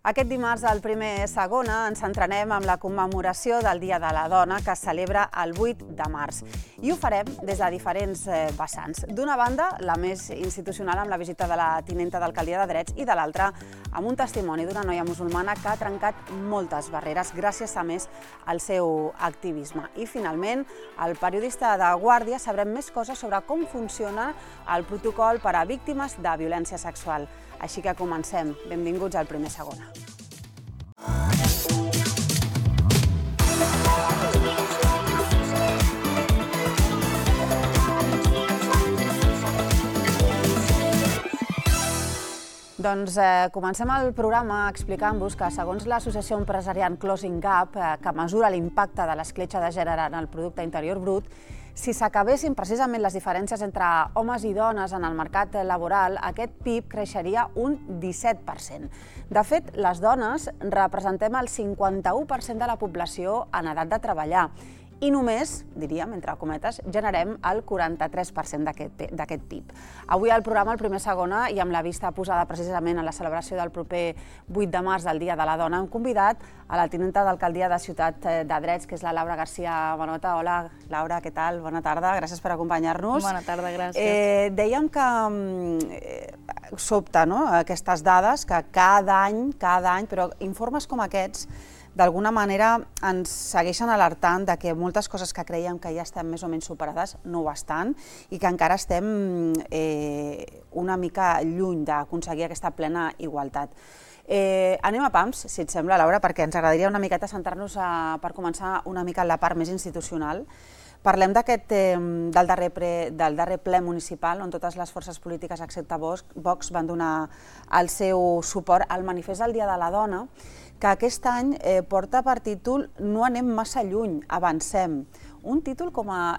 Aquest dimarts, al primer segona, ens centrarem en la commemoració del Dia de la Dona que es celebra el 8 de març. I ho farem des de diferents vessants. D'una banda, la més institucional amb la visita de la tinenta d'alcaldia de Drets i de l'altra, amb un testimoni d'una noia musulmana que ha trencat moltes barreres gràcies a més al seu activisme. I finalment, el periodista de Guàrdia sabrem més coses sobre com funciona el protocol per a víctimes de violència sexual. Així que comencem. Benvinguts al primer segona. Doncs comencem el programa explicant-vos que, segons l'associació empresarial Closing Gap, que mesura l'impacte de l'escletxa de gènere en el producte interior brut, si s'acabessin precisament les diferències entre homes i dones en el mercat laboral, aquest PIB creixeria un 17%. De fet, les dones representem el 51% de la població en edat de treballar i només, diríem, entre cometes, generem el 43% d'aquest PIB. Avui al programa, el primer segona, i amb la vista posada precisament en la celebració del proper 8 de març del Dia de la Dona, hem convidat a la tinenta d'alcaldia de Ciutat de Drets, que és la Laura García Bonota. Hola, Laura, què tal? Bona tarda, gràcies per acompanyar-nos. Bona tarda, gràcies. Dèiem que sobta, no?, aquestes dades, que cada any, però informes com aquests, d'alguna manera ens segueixen alertant de que moltes coses que creiem que ja estan més o menys superades no ho estan i que encara estem una mica lluny d'aconseguir aquesta plena igualtat. Anem a pams, si et sembla, Laura, perquè ens agradaria una miqueta centrar-nos per començar una mica en la part més institucional. Parlem del darrer ple municipal, on totes les forces polítiques, excepte Vox, van donar el seu suport al manifest del Dia de la Dona, que aquest any porta per títol No anem massa lluny, avancem. Un títol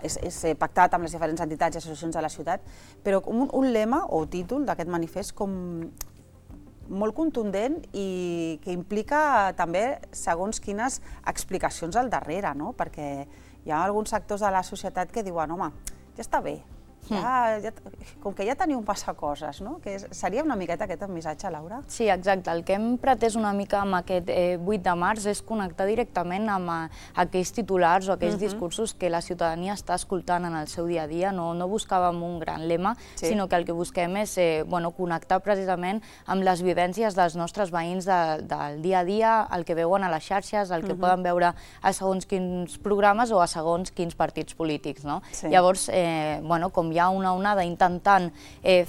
és pactat amb les diferents entitats i associacions de la ciutat, però un lema o títol d'aquest manifest com molt contundent i que implica també segons quines explicacions al darrere, no? Perquè hi ha alguns sectors de la societat que diuen, home, ja està bé, com que ja teniu massa coses, no? Seria una miqueta aquest missatge, Laura? Sí, exacte. El que hem pretès una mica amb aquest 8 de març és connectar directament amb aquells titulars o aquells discursos que la ciutadania està escoltant en el seu dia a dia. No buscàvem un gran lema, sinó que el que busquem és connectar precisament amb les vivències dels nostres veïns del dia a dia, el que veuen a les xarxes, el que poden veure a segons quins programes o a segons quins partits polítics. Llavors, com hi ha una onada intentant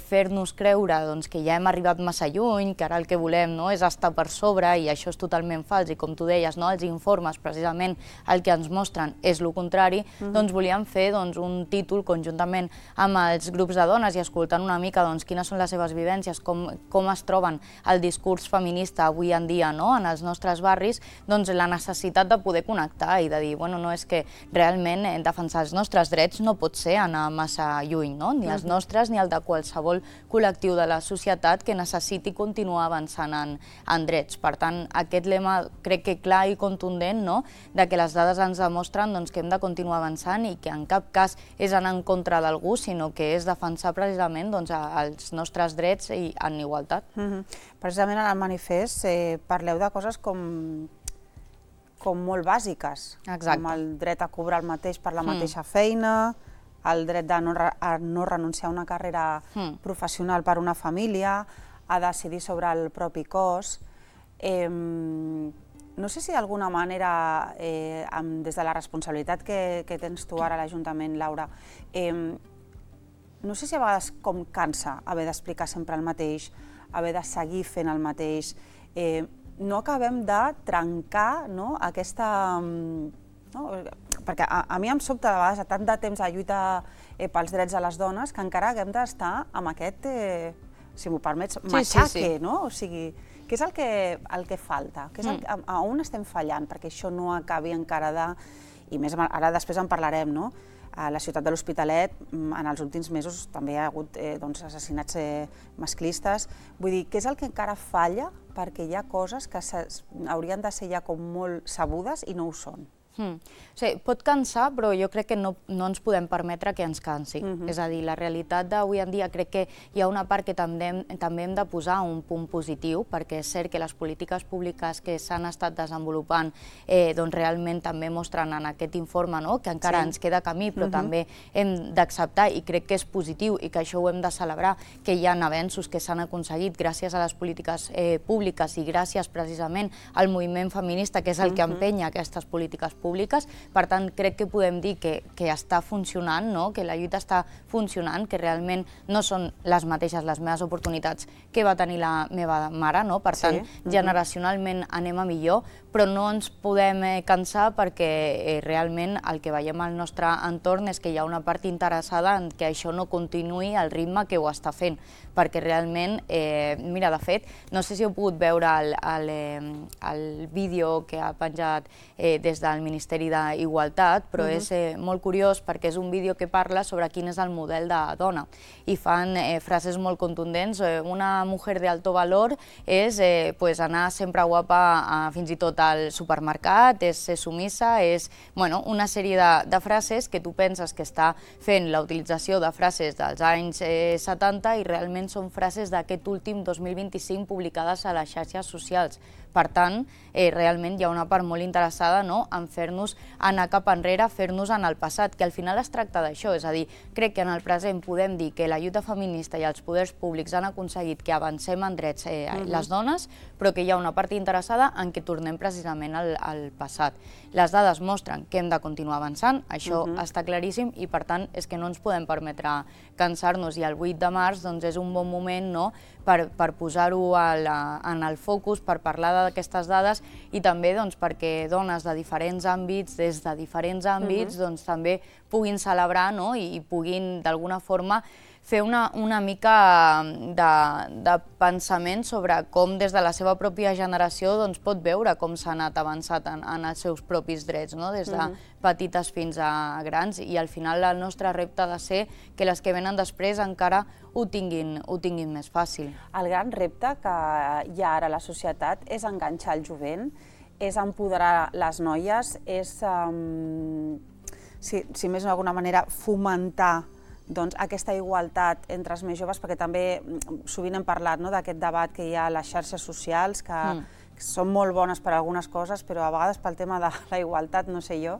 fer-nos creure que ja hem arribat massa lluny, que ara el que volem és estar per sobre i això és totalment fals i com tu deies, els informes precisament el que ens mostren és el contrari, doncs volíem fer un títol conjuntament amb els grups de dones i escoltant una mica quines són les seves vivències, com es troben el discurs feminista avui en dia en els nostres barris, doncs la necessitat de poder connectar i de dir, no és que realment defensar els nostres drets no pot ser anar massa lluny, ni els nostres ni el de qualsevol col·lectiu de la societat que necessiti continuar avançant en drets. Per tant, aquest lema crec que clar i contundent, de que les dades ens demostren que hem de continuar avançant i que en cap cas és anar en contra d'algú, sinó que és defensar precisament els nostres drets en igualtat. Precisament en el manifest parleu de coses com molt bàsiques, com el dret a cobrar el mateix per la mateixa feina, el dret a no renunciar a una carrera professional per una família, a decidir sobre el propi cos. No sé si d'alguna manera, des de la responsabilitat que tens tu ara a l'Ajuntament, Laura, no sé si a vegades com cansa haver d'explicar sempre el mateix, haver de seguir fent el mateix. No acabem de trencar aquesta... Perquè a mi em sobta de vegades, a tant de temps de lluita pels drets de les dones, que encara haguem d'estar amb aquest, si m'ho permets, matxaque, no? O sigui, què és el que falta? A on estem fallant perquè això no acabi encara de... I més ara després en parlarem, no? A la ciutat de l'Hospitalet, en els últims mesos, també hi ha hagut assassinats masclistes. Vull dir, què és el que encara falla perquè hi ha coses que haurien de ser ja com molt sabudes i no ho són? Pot cansar, però jo crec que no ens podem permetre que ens cansi. És a dir, la realitat d'avui en dia crec que hi ha una part que també hem de posar un punt positiu, perquè és cert que les polítiques públiques que s'han estat desenvolupant realment també mostren en aquest informe que encara ens queda camí, però també hem d'acceptar, i crec que és positiu i que això ho hem de celebrar, que hi ha avenços que s'han aconseguit gràcies a les polítiques públiques i gràcies precisament al moviment feminista, que és el que empenya aquestes polítiques públiques. Per tant, crec que podem dir que està funcionant, que la lluita està funcionant, que realment no són les mateixes les meves oportunitats que va tenir la meva mare, per tant, generacionalment anem a millor, però no ens podem cansar perquè realment el que veiem al nostre entorn és que hi ha una part interessada en que això no continuï al ritme que ho està fent, perquè realment, mira, de fet, no sé si heu pogut veure el vídeo que ha penjat des del Ministeri d'Igualtat, però és molt curiós perquè és un vídeo que parla sobre quin és el model de dona i fan frases molt contundents. Una mujer de alto valor és anar sempre guapa fins i tot al supermercat, és ser sumissa, és una sèrie de frases que tu penses que està fent la utilització de frases dels anys 70 i realment són frases d'aquest últim 2025 publicades a les xarxes socials. Per tant, realment hi ha una part molt interessada en fer-nos anar cap enrere, fer-nos en el passat, que al final es tracta d'això. És a dir, crec que en el present podem dir que la lluita feminista i els poders públics han aconseguit que avancem en drets les dones, però que hi ha una part interessada en què tornem precisament al passat. Les dades mostren que hem de continuar avançant, això està claríssim, i per tant és que no ens podem permetre cansar-nos, i el 8 de març és un bon moment per posar-ho en el focus, per parlar d'aquestes dades i també perquè dones de diferents àmbits, des de diferents àmbits, també puguin celebrar i puguin d'alguna forma fer una mica de pensament sobre com des de la seva pròpia generació pot veure com s'ha anat avançat en els seus propis drets, des de petites fins a grans, i al final el nostre repte ha de ser que les que venen després encara ho tinguin més fàcil. El gran repte que hi ha ara a la societat és enganxar el jovent, és empoderar les noies, és, si més d'alguna manera, fomentar aquesta igualtat entre els més joves, perquè també sovint hem parlat d'aquest debat que hi ha a les xarxes socials, que són molt bones per a algunes coses, però a vegades pel tema de la igualtat, no sé jo.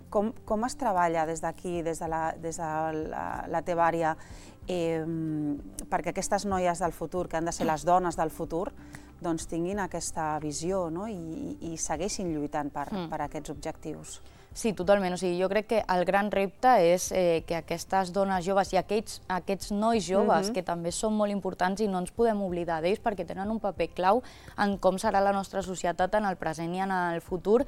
Com es treballa des d'aquí, des de la teva àrea, perquè aquestes noies del futur, que han de ser les dones del futur, tinguin aquesta visió i segueixin lluitant per aquests objectius? Sí, totalment. Jo crec que el gran repte és que aquestes dones joves i aquests nois joves, que també són molt importants i no ens podem oblidar d'ells perquè tenen un paper clau en com serà la nostra societat en el present i en el futur,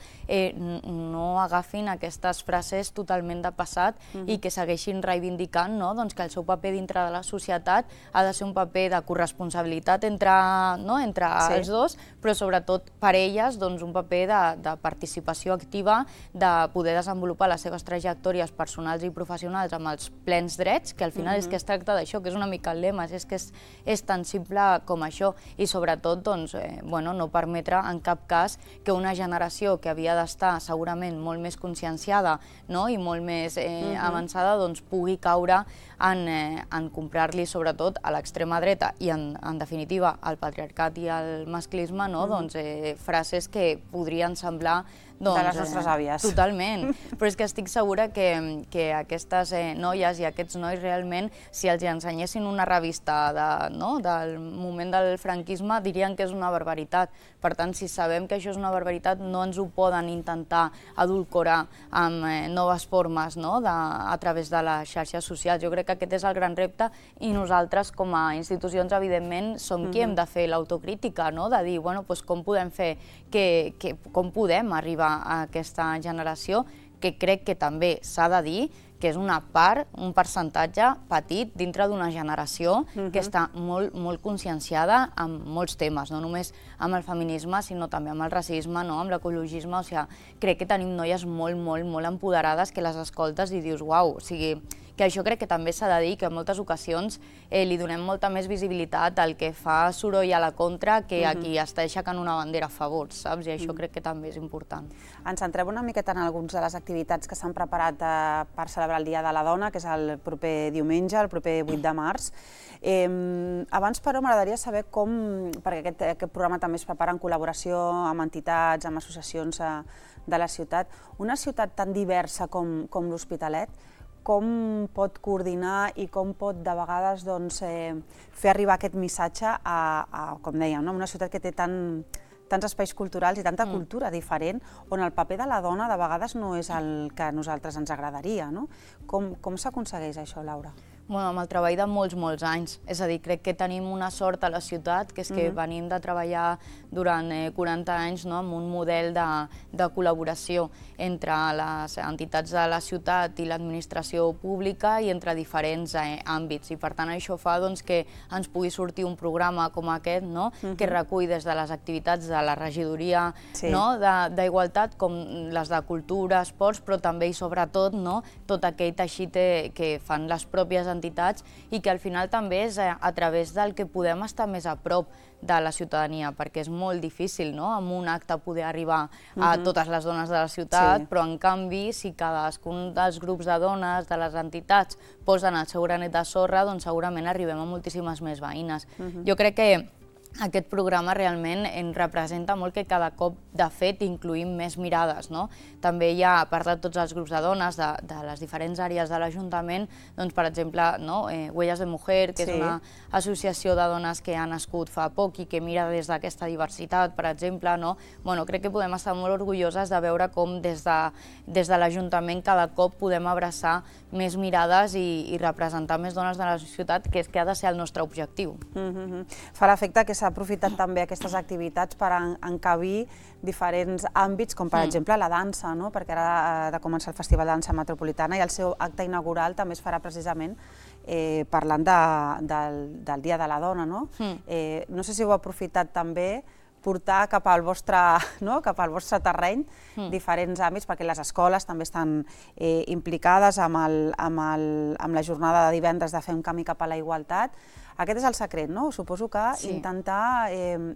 no agafin aquestes frases totalment de passat i que segueixin reivindicant que el seu paper dintre de la societat ha de ser un paper de corresponsabilitat entre els dos, però sobretot per elles un paper de participació activa, de poder desenvolupar les seves trajectòries personals i professionals amb els plens drets, que al final és que es tracta d'això, que és una mica el lema, és que és tan simple com això, i sobretot no permetre en cap cas que una generació que havia d'estar segurament molt més conscienciada i molt més avançada pugui caure en comprar-li sobretot a l'extrema dreta i en definitiva al patriarcat i al masclisme frases que podrien semblar de les nostres àvies. Totalment, però és que estic segura que aquestes noies i aquests nois realment, si els ensenyessin una revista del moment del franquisme, dirien que és una barbaritat. Per tant, si sabem que això és una barbaritat, no ens ho poden intentar adulcorar amb noves formes a través de les xarxes socials. Jo crec que aquest és el gran repte i nosaltres com a institucions, evidentment, som qui hem de fer l'autocrítica, de dir com podem fer, com podem arribar a aquesta generació, que crec que també s'ha de dir que és una part, un percentatge petit dintre d'una generació que està molt conscienciada amb molts temes, no només amb el feminisme, sinó també amb el racisme, amb l'ecologisme. O sigui, crec que tenim noies molt empoderades que les escoltes i dius, uau, o sigui, que això crec que també s'ha de dir, que en moltes ocasions li donem molta més visibilitat al que fa soroll a la contra que a qui està aixecant una bandera a favor, saps? I això crec que també és important. Ens centrem una miqueta en algunes de les activitats que s'han preparat per celebrar el Dia de la Dona, que és el proper diumenge, el proper 8 de març. Abans, però, m'agradaria saber com, perquè aquest programa també es prepara en col·laboració amb entitats, amb associacions de la ciutat, una ciutat tan diversa com l'Hospitalet, com pot coordinar i com pot de vegades fer arribar aquest missatge a, com dèiem, una ciutat que té tants espais culturals i tanta cultura diferent, on el paper de la dona de vegades no és el que a nosaltres ens agradaria. Com s'aconsegueix això, Laura? Amb el treball de molts anys. És a dir, crec que tenim una sort a la ciutat, que és que venim de treballar durant 40 anys amb un model de col·laboració entre les entitats de la ciutat i l'administració pública i entre diferents àmbits. I per tant això fa que ens pugui sortir un programa com aquest, que recull des de les activitats de la regidoria d'Igualtat com les de cultura, esports, però també i sobretot tot aquell teixit que fan les pròpies entitats i que al final també és a través del que podem estar més a prop de la ciutadania, perquè és molt difícil amb un acte poder arribar a totes les dones de la ciutat, però en canvi si cadascun dels grups de dones, de les entitats, posen el seu granet de sorra, doncs segurament arribem a moltíssimes més veïnes. Jo crec que aquest programa realment ens representa molt que cada cop, de fet, incluïm més mirades. També hi ha, a part de tots els grups de dones de les diferents àrees de l'Ajuntament, per exemple, Huellas de Mujer, que és una associació de dones que ha nascut fa poc i que mira des d'aquesta diversitat, per exemple. Crec que podem estar molt orgulloses de veure com des de l'Ajuntament cada cop podem abraçar més mirades i representar més dones de la ciutat, que és que ha de ser el nostre objectiu. Fa l'efecte que s'ha aprofitat també aquestes activitats per encabir diferents àmbits, com per exemple la dansa, perquè ara ha de començar el Festival de Dansa Metropolitana i el seu acte inaugural també es farà precisament parlant del Dia de la Dona. No sé si heu aprofitat també portar cap al vostre terreny diferents àmbits, perquè les escoles també estan implicades amb la jornada de divendres de fer un camí cap a la igualtat. Aquest és el secret, no? Suposo que intentar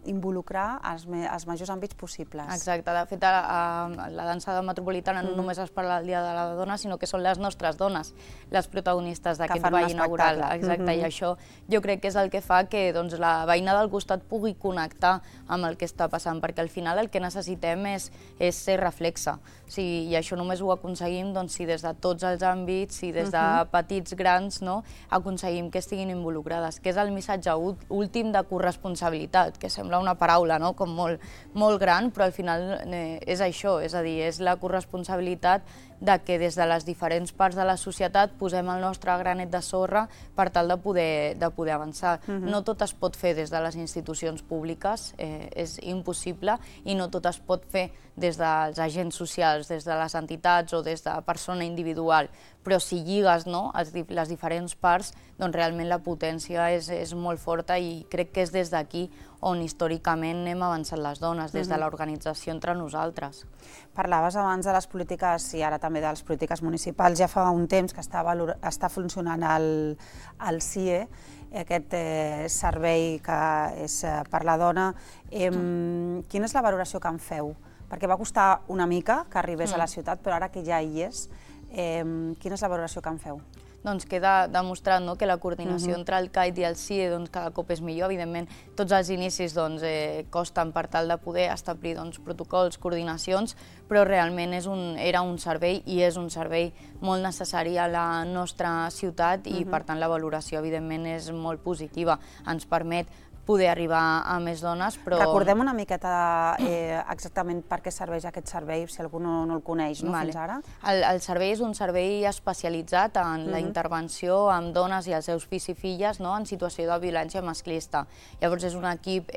involucrar els majors àmbits possibles. Exacte. De fet, la dansa metropolitana no només es parla del Dia de la Dona, sinó que són les nostres dones les protagonistes d'aquest ball inaugural. Exacte, i això jo crec que és el que fa que la veïna del costat pugui connectar amb el que està passant, perquè al final el que necessitem és ser reflexe. I això només ho aconseguim si des de tots els àmbits i des de petits, grans, aconseguim que estiguin involucrades, que és el missatge últim de corresponsabilitat, que sembla una paraula com molt gran, però al final és això, és a dir, és la corresponsabilitat de que des de les diferents parts de la societat posem el nostre granet de sorra per tal de poder avançar. No tot es pot fer des de les institucions públiques, és impossible, i no tot es pot fer des dels agents socials, des de les entitats o des de persona individual, però si lligues les diferents parts, doncs realment la potència és molt forta i crec que és des d'aquí on històricament hem avançat les dones, des de l'organització entre nosaltres. Parlaves abans de les polítiques i ara també de les polítiques municipals. Ja fa un temps que està funcionant el CIE, aquest servei que és per la dona. Quina és la valoració que en feu? Perquè va costar una mica que arribés a la ciutat, però ara que ja hi és, quina és la valoració que en feu? Doncs queda demostrat que la coordinació entre el CAIT i el CIE cada cop és millor. Evidentment, tots els inicis costen per tal de poder establir protocols, coordinacions, però realment era un servei i és un servei molt necessari a la nostra ciutat i, per tant, la valoració, evidentment, és molt positiva. Ens permet poder arribar a més dones, però... Recordem una miqueta exactament per què serveix aquest servei, si algú no el coneix fins ara. El servei és un servei especialitzat en la intervenció amb dones i els seus fills i filles en situació de violència masclista. Llavors és un equip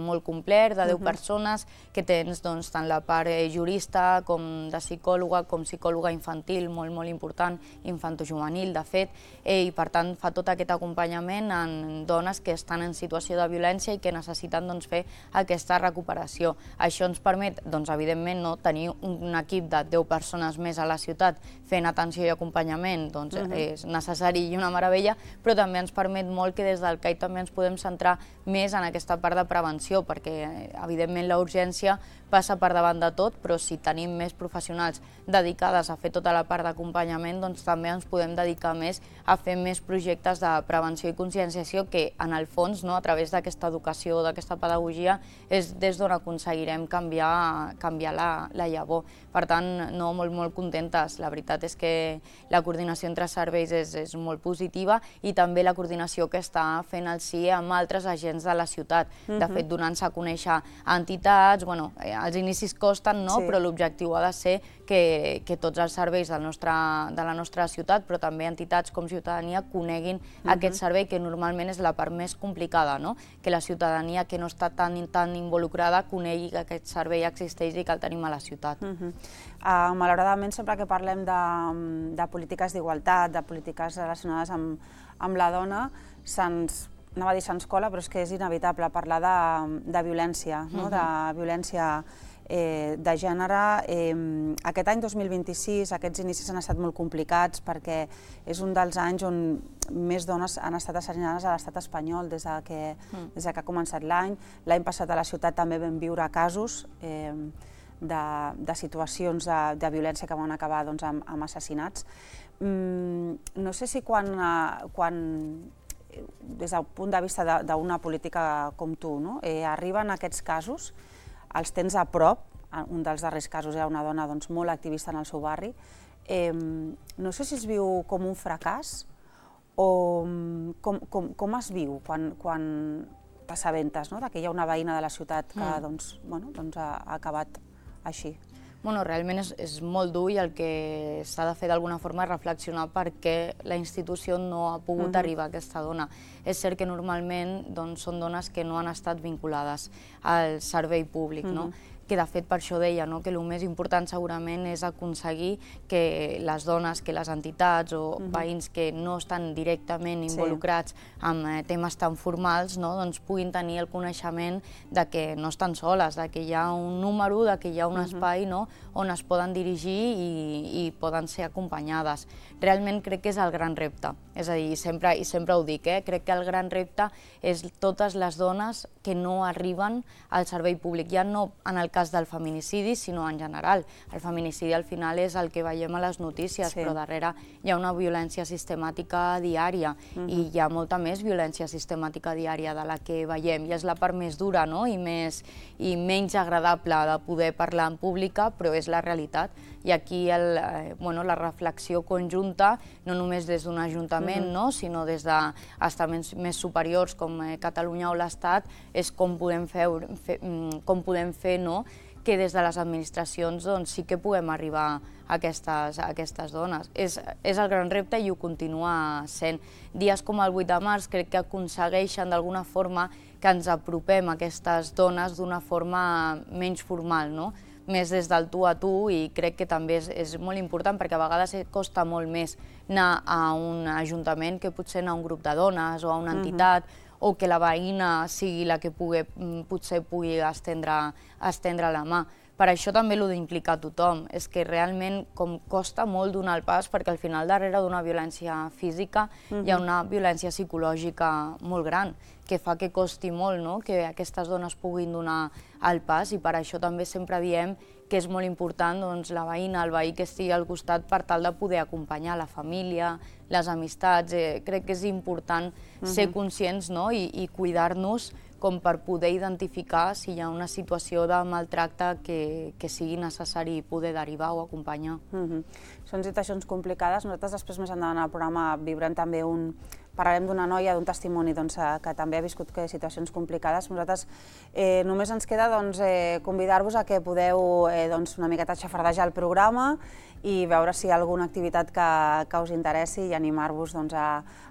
molt complet, de 10 persones, que tens tant la part jurista com de psicòloga, com psicòloga infantil, molt, molt important, infantojuvenil, de fet, i per tant fa tot aquest acompanyament en dones que estan en situació de violència i que necessiten fer aquesta recuperació. Això ens permet, evidentment, tenir un equip de 10 persones més a la ciutat fent atenció i acompanyament, és necessari i una meravella, però també ens permet molt que des del CAI també ens podem centrar més en aquesta part de prevenció, perquè evidentment la urgència passa per davant de tot, però si tenim més professionals dedicades a fer tota la part d'acompanyament, doncs també ens podem dedicar més a fer més projectes de prevenció i conscienciació que, en el fons, a través d'aquesta educació, d'aquesta pedagogia, és des d'on aconseguirem canviar la llavor. Per tant, molt contentes. La veritat és que la coordinació entre serveis és molt positiva i també la coordinació que està fent el CIE amb altres agents de la ciutat. De fet, donant-se a conèixer entitats, els inicis costen, però l'objectiu ha de ser que tots els serveis de la nostra ciutat, però també entitats com Ciutadania, coneguin aquest servei, que normalment és la part més complicada, que la ciutadania que no està tan involucrada conegui que aquest servei existeix i que el tenim a la ciutat. Malauradament, sempre que parlem de polítiques d'igualtat, de polítiques relacionades amb la dona, anava a dir se'ns cola, però és que és inevitable parlar de violència, de violència de gènere. Aquest any 2026 aquests inicis han estat molt complicats perquè és un dels anys on més dones han estat assassinades a l'estat espanyol des que ha començat l'any. L'any passat a la ciutat també vam viure casos de situacions de violència que van acabar amb assassinats. No sé si quan des del punt de vista d'una política com tu, arriben aquests casos, els tens a prop. Un dels darrers casos era una dona molt activista en el seu barri. No sé si es viu com un fracàs o com es viu quan t'assabentes que hi ha una veïna de la ciutat que ha acabat així. Realment és molt dur i el que s'ha de fer d'alguna forma és reflexionar per què la institució no ha pogut arribar a aquesta dona. És cert que normalment són dones que no han estat vinculades al servei públic, que de fet per això deia que el més important segurament és aconseguir que les dones, que les entitats o veïns que no estan directament involucrats en temes tan formals puguin tenir el coneixement que no estan soles, que hi ha un número, que hi ha un espai on es poden dirigir i poden ser acompanyades. Realment crec que és el gran repte, és a dir, i sempre ho dic, crec que el gran repte és totes les dones que no arriben al servei públic, ja no en el cas del feminicidi, sinó en general. El feminicidi al final és el que veiem a les notícies, però darrere hi ha una violència sistemàtica diària i hi ha molta més violència sistemàtica diària de la que veiem i és la part més dura i menys agradable de poder parlar en pública, però és la realitat. I aquí la reflexió conjunta, no només des d'un ajuntament, sinó des d'estaments més superiors com Catalunya o l'Estat, és com podem fer que des de les administracions sí que puguem arribar a aquestes dones. És el gran repte i ho continua sent. Dies com el 8 de març crec que aconsegueixen d'alguna forma que ens apropem a aquestes dones d'una forma menys formal, més des del tu a tu, i crec que també és molt important perquè a vegades costa molt més anar a un ajuntament que potser anar a un grup de dones o a una entitat o que la veïna sigui la que potser pugui estendre la mà. Per això també l'ho d'implicar tothom, és que realment costa molt donar el pas perquè al final darrere d'una violència física hi ha una violència psicològica molt gran que fa que costi molt que aquestes dones puguin donar el pas, i per això també sempre diem que és molt important la veïna, el veí que estigui al costat per tal de poder acompanyar la família, les amistats. Crec que és important ser conscients i cuidar-nos com per poder identificar si hi ha una situació de maltracte que sigui necessari poder derivar o acompanyar. Són situacions complicades. Nosaltres després, més endavant al programa, viurem també parlarem d'una noia, d'un testimoni que també ha viscut situacions complicades. Nosaltres només ens queda convidar-vos a que podeu una miqueta xafardejar el programa i veure si hi ha alguna activitat que us interessi i animar-vos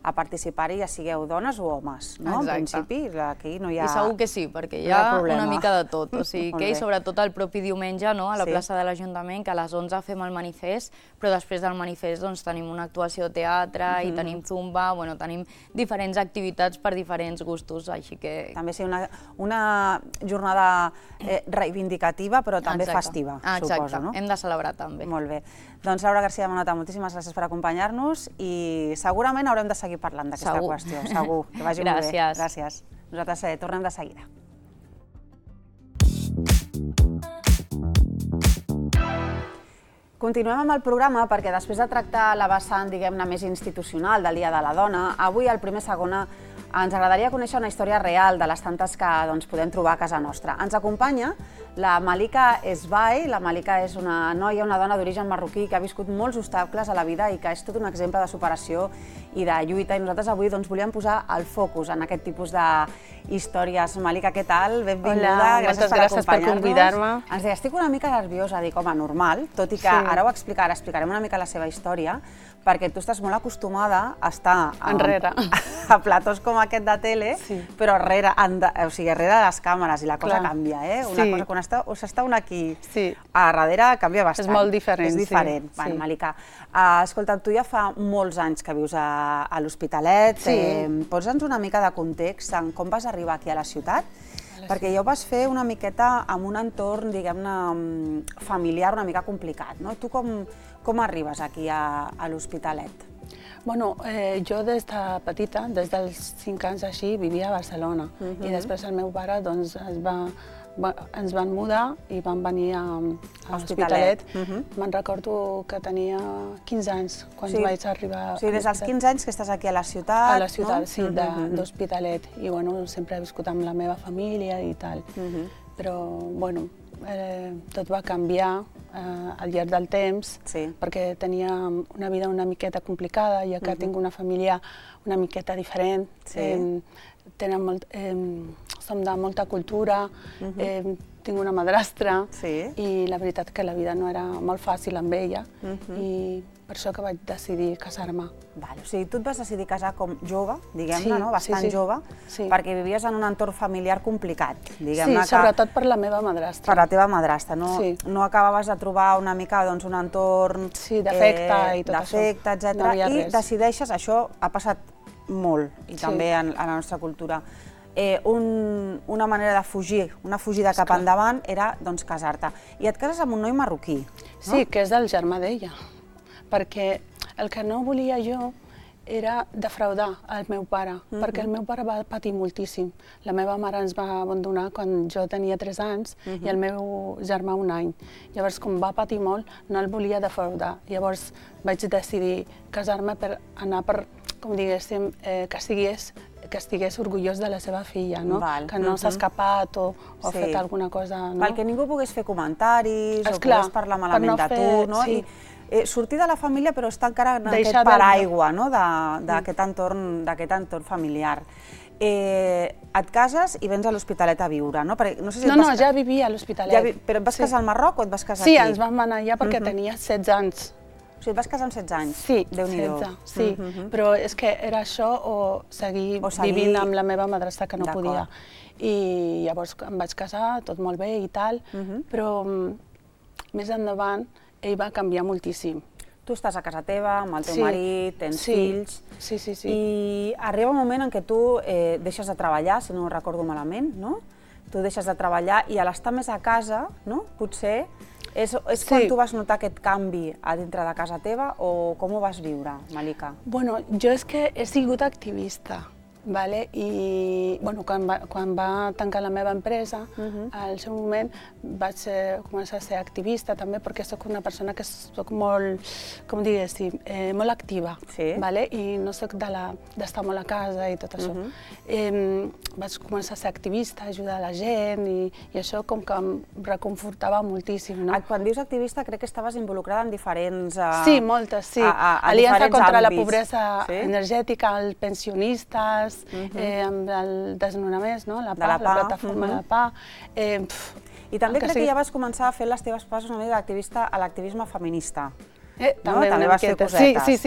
a participar-hi, ja sigueu dones o homes, no? En principi, aquí no hi ha I segur que sí, perquè hi ha una mica de tot. O sigui que, sobretot el propi diumenge, a la plaça de l'Ajuntament, que a les 11 fem el manifest, però després del manifest tenim una actuació de teatre i tenim zumba, tenim diferents activitats per diferents gustos, així que... També sí, una jornada reivindicativa, però també festiva, suposo, no? Hem de celebrar també. Molt bé. Doncs Laura García Manota, moltíssimes gràcies per acompanyar-nos i segurament haurem de seguir parlant d'aquesta qüestió. Segur. Que vagi molt bé. Gràcies. Nosaltres tornem de seguida. Continuem amb el programa perquè després de tractar la vessant, diguem-ne, més institucional del Dia de la Dona, avui al Primer Segona ens agradaria conèixer una història real de les tantes que podem trobar a casa nostra. Ens acompanya la Malika Esbai. La Malika és una noia, una dona d'origen marroquí que ha viscut molts obstacles a la vida i que és tot un exemple de superació i de lluita. I nosaltres avui volíem posar el focus en aquest tipus d'històries. Malika, què tal? Benvinguda. Hola, moltes gràcies per convidar-me. Ens deia, estic una mica nerviosa, dic, home, normal, tot i que ara ho explicarem una mica la seva història, perquè tu estàs molt acostumada a estar enrere a platós com aquest de tele, però darrere de les càmeres, i la cosa canvia, eh? Una cosa, quan s'està un aquí, a darrere canvia bastant. És molt diferent. És diferent. Malika, escolta, tu ja fa molts anys que vius a l'Hospitalet. Posa'ns una mica de context en com vas arribar aquí a la ciutat, perquè ja ho vas fer una miqueta amb un entorn, diguem-ne, familiar una mica complicat, no? Tu com arribes aquí a l'Hospitalet? Bueno, jo des de petita, des dels 5 anys així, vivia a Barcelona i després el meu pare ens van mudar i van venir a l'Hospitalet. Me'n recordo que tenia 15 anys quan vaig arribar. O sigui, des dels 15 anys que estàs aquí a la ciutat, no? A la ciutat, sí, d'Hospitalet. I sempre he viscut amb la meva família i tal. Però, bueno, tot va canviar al llarg del temps perquè tenia una vida una miqueta complicada, ja que tinc una família una miqueta diferent. Som de molta cultura, tinc una madrastra i la veritat que la vida no era molt fàcil amb ella i per això que vaig decidir casar-me. O sigui, tu et vas decidir casar com jove, diguem-ne, bastant jove, perquè vivies en un entorn familiar complicat. Sí, sobretot per la meva madrastra. Per la teva madrastra, no acabaves de trobar una mica un entorn d'afecte i tot això. D'afecte, etc. I decideixes, això ha passat molt, i també en la nostra cultura, una manera de fugir, una fugida cap endavant era casar-te. I et cases amb un noi marroquí. Sí, que és el germà d'ella, perquè el que no volia jo era defraudar el meu pare, perquè el meu pare va patir moltíssim. La meva mare ens va abandonar quan jo tenia 3 anys i el meu germà 1 any. Llavors, com va patir molt, no el volia defraudar. Llavors vaig decidir casar-me per anar per, com diguéssim, que estigués orgullós de la seva filla, que no s'ha escapat o ha fet alguna cosa. Que ningú pogués fer comentaris o pogués parlar malament de tu. Sortir de la família però estar encara en aquest paraigua d'aquest entorn familiar. Et cases i vens a l'Hospitalet a viure, no? No, ja vivia a l'Hospitalet. Però et vas casar al Marroc o et vas casar aquí? Sí, ens vam anar allà perquè tenia 16 anys. O sigui, et vas casar amb 16 anys? Sí, 16, sí. Però és que era això o seguir vivint amb la meva madrastra que no podia. I llavors em vaig casar, tot molt bé i tal, però més endavant ell va canviar moltíssim. Tu estàs a casa teva, amb el teu marit, tens fills... Sí. I arriba un moment en què tu deixes de treballar, si no ho recordo malament, no? Tu deixes de treballar i a l'estar més a casa, potser, és quan tu vas notar aquest canvi a dintre de casa teva o com ho vas viure, Malika? Bueno, jo és que he sigut activista. I quan va tancar la meva empresa, al seu moment vaig començar a ser activista també, perquè soc una persona que soc molt, com diguéssim, molt activa, i no soc d'estar molt a casa i tot això. Vaig començar a ser activista, ajudar la gent, i això com que em reconfortava moltíssim. Quan dius activista, crec que estaves involucrada en diferents... Sí, moltes, sí. Aliança contra la pobresa energètica, els pensionistes, amb el desnonament, la plataforma de PA. I també crec que ja vas començar a fer les teves passes una mica d'activista a l'activisme feminista. També vas fer cosetes.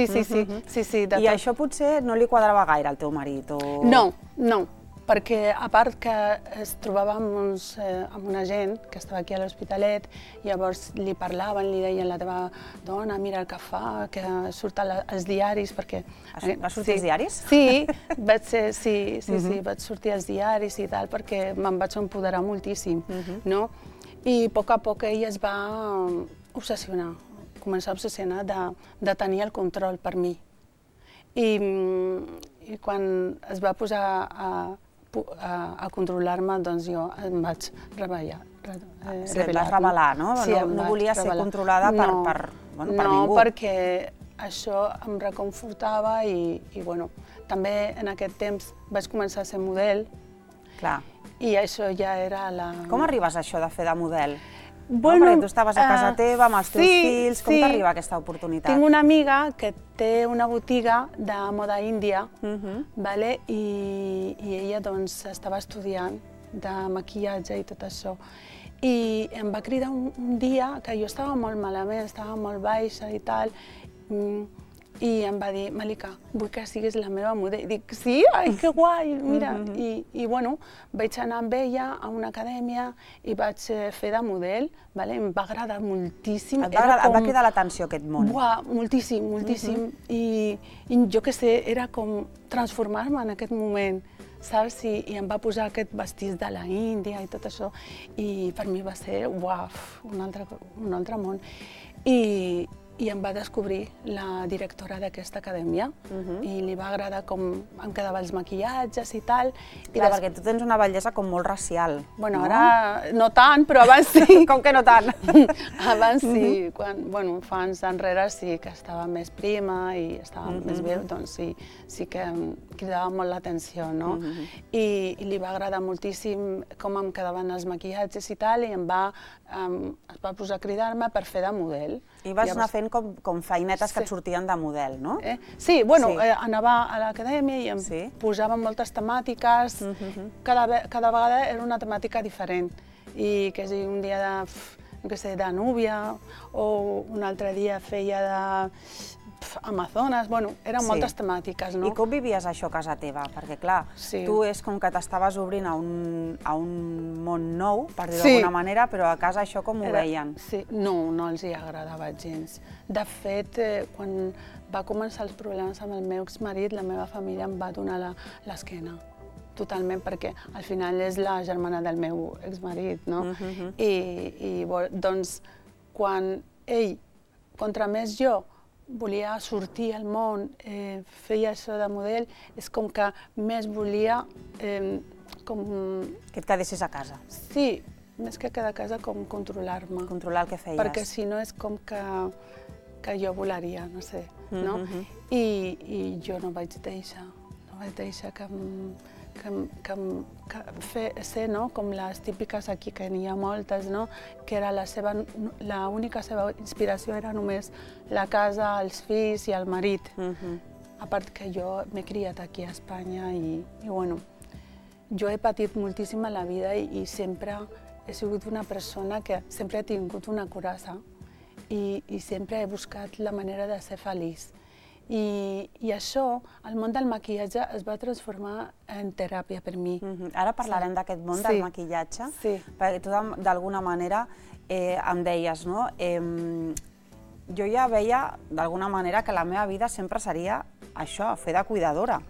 Sí. I això potser no li quadrava gaire al teu marit? No, perquè a part que es trobava amb una gent que estava aquí a l'Hospitalet, llavors li parlaven, li deien la teva dona, mira el que fa, que surt als diaris, perquè... Vas sortir als diaris? Sí, vaig sortir als diaris i tal, perquè me'n vaig empoderar moltíssim, no? I a poc a poc ell es va obsessionar, començar a obsessionar de tenir el control per mi. I quan es va posar a controlar-me, doncs jo em vaig revelar. Revelar, no? No volia ser controlada per ningú. No, perquè això em reconfortava i també en aquest temps vaig començar a ser model. Clar. I això ja era la... Com arribes a això de fer de model? Perquè tu estaves a casa teva, amb els teus fills, com t'arriba aquesta oportunitat? Tinc una amiga que té una botiga de moda índia, i ella estava estudiant de maquillatge i tot això. I em va cridar un dia que jo estava molt malament, estava molt baixa i tal, i em va dir, Malika, vull que siguis la meva model. I dic, sí? Ai, que guai, mira. I vaig anar amb ella a una acadèmia i vaig fer de model, em va agradar moltíssim. Et va cridar l'atenció aquest món? Moltíssim, moltíssim. I jo què sé, era com transformar-me en aquest moment, saps? I em va posar aquest vestit de la Índia i tot això. I per mi va ser, un altre món. I em va descobrir la directora d'aquesta acadèmia i li va agradar com em quedaven els maquillatges i tal. Clar, perquè tu tens una bellesa com molt racial. Bueno, ara no tant, però abans sí. Com que no tant? Abans sí, fa anys enrere sí que estava més prima i estava més bé, doncs sí que em cridava molt l'atenció, no? I li va agradar moltíssim com em quedaven els maquillatges i tal, i es va posar a cridar-me per fer de model. I vas anar fent com feinetes que et sortien de model, no? Sí, anava a l'acadèmia i em posaven moltes temàtiques, cada vegada era una temàtica diferent. I que si un dia de núvia, o un altre dia feia d'Amazones, eren moltes temàtiques, no? I com vivies això a casa teva? Perquè, clar, tu és com que t'estaves obrint a un món nou, per dir-ho d'alguna manera, però a casa això com ho veien? No els hi agradava gens. De fet, quan va començar els problemes amb el meu exmarit, la meva família em va donar l'esquena. Totalment, perquè al final és la germana del meu exmarit, no? I doncs, quan ell, contra més jo, volia sortir al món, feia això de model, és com que més volia... Que et quedessis a casa. Sí, més que quedar a casa, com controlar-me. Controlar el que feies. Perquè si no és com que jo volaria, no sé, no? I jo no vaig deixar ser com les típiques aquí, que n'hi ha moltes, que l'única seva inspiració era només la casa, els fills i el marit. A part que jo m'he criat aquí a Espanya i jo he patit moltíssim a la vida i sempre he sigut una persona que sempre he tingut una coraza i sempre he buscat la manera de ser feliç. I això, el món del maquillatge es va transformar en teràpia per mi. Ara parlarem d'aquest món del maquillatge, perquè tu d'alguna manera em deies, no? Jo ja veia d'alguna manera que la meva vida sempre seria això, fer de cuidadora.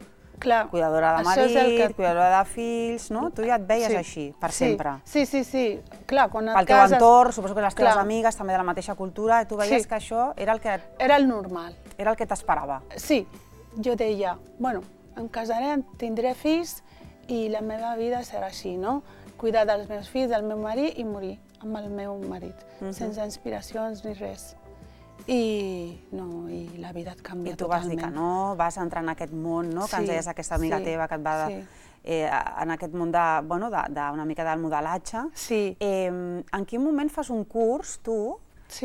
Cuidadora de marit, cuidadora de fills, no? Tu ja et veies així, per sempre. Sí. Clar, quan et cases... Pel teu entorn, suposo que les teves amigues, també de la mateixa cultura, tu veies que això era el que... Era el normal. Era el que t'esperava. Sí, jo deia, bueno, em casaré, tindré fills i la meva vida serà així, no? Cuidar dels meus fills, del meu marit i morir amb el meu marit, sense inspiracions ni res. I la vida et canvia totalment. I tu vas dir que no, vas entrar en aquest món, no? Que ens deies aquesta amiga teva que et va en aquest món d'una mica del modelatge. Sí. En quin moment fas un curs, tu,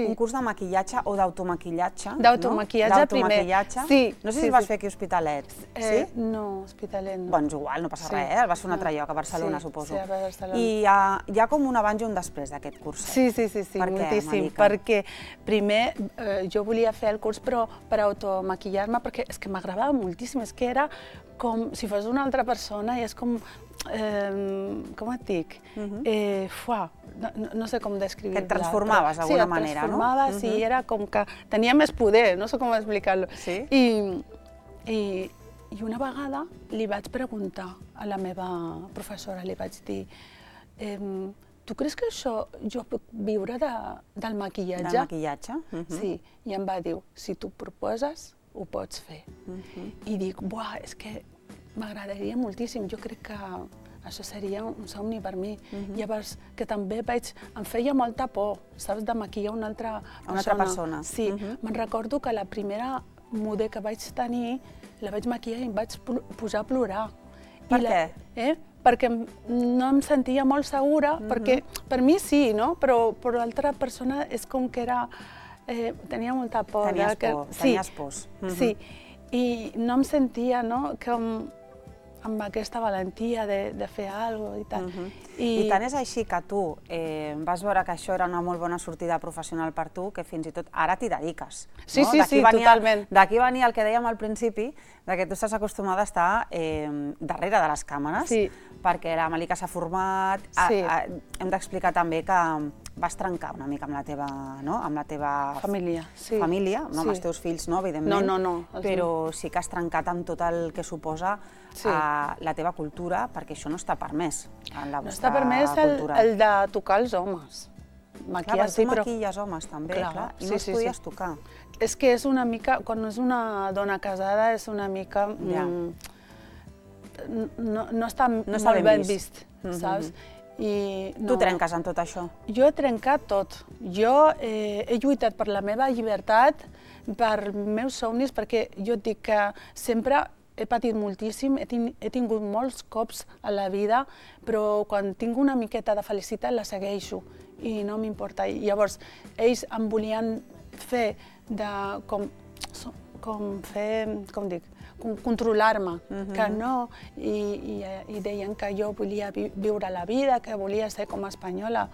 un curs de maquillatge o d'automaquillatge? D'automaquillatge primer. Sí. No sé si el vas fer aquí a Hospitalet. Sí? No, Hospitalet no. Doncs igual, no passa res, el vas fer un altre lloc, a Barcelona, suposo. Sí, a Barcelona. I hi ha com un abans i un després d'aquest curset. Sí, moltíssim. Perquè primer jo volia fer el curs però per automaquillar-me, perquè és que m'agradava moltíssim, és que era com si fos una altra persona i és com com et dic? No sé com descriure-la. Que et transformaves d'alguna manera, no? Sí, et transformaves i era com que tenia més poder, no sé com explicar-lo. Sí? I una vegada li vaig preguntar a la meva professora, li vaig dir tu creus que això jo puc viure del maquillatge? Del maquillatge? Sí, i em va dir, si tu proposes, ho pots fer. I dic, buah, és que m'agradaria moltíssim, jo crec que això seria un somni per mi. Llavors, que també em feia molta por, saps, de maquillar una altra persona. Sí, me'n recordo que la primera model que vaig tenir, la vaig maquillar i em vaig posar a plorar. Per què? Perquè no em sentia molt segura, perquè per mi sí, no? Però per l'altra persona és com que era... Tenia molta por. Tenies pors. Sí, i no em sentia, no?, amb aquesta valentia de fer alguna cosa i tal. I tant és així que tu vas veure que això era una molt bona sortida professional per tu, que fins i tot ara t'hi dediques. Sí, totalment. D'aquí venia el que dèiem al principi, que tu estàs acostumada a estar darrere de les càmeres, perquè la Malika s'ha format. Hem d'explicar també que vas trencar una mica amb la teva família, no amb els teus fills, no, evidentment, no, però sí que has trencat amb tot el que suposa la teva cultura, perquè això no està permès en la vostra cultura. No està permès el de tocar els homes. Clar, tu maquilles homes també, clar, i no els podies tocar. És que és una mica, quan és una dona casada, és una mica... No està molt ben vist, saps? Tu trenques en tot això? Jo he trencat tot. Jo he lluitat per la meva llibertat, per meus somnis, perquè jo et dic que sempre he patit moltíssim, he tingut molts cops a la vida, però quan tinc una miqueta de felicitat la segueixo i no m'importa. Llavors, ells em volien fer controlar-me, que no, i deien que jo volia viure la vida, que volia ser com a espanyola.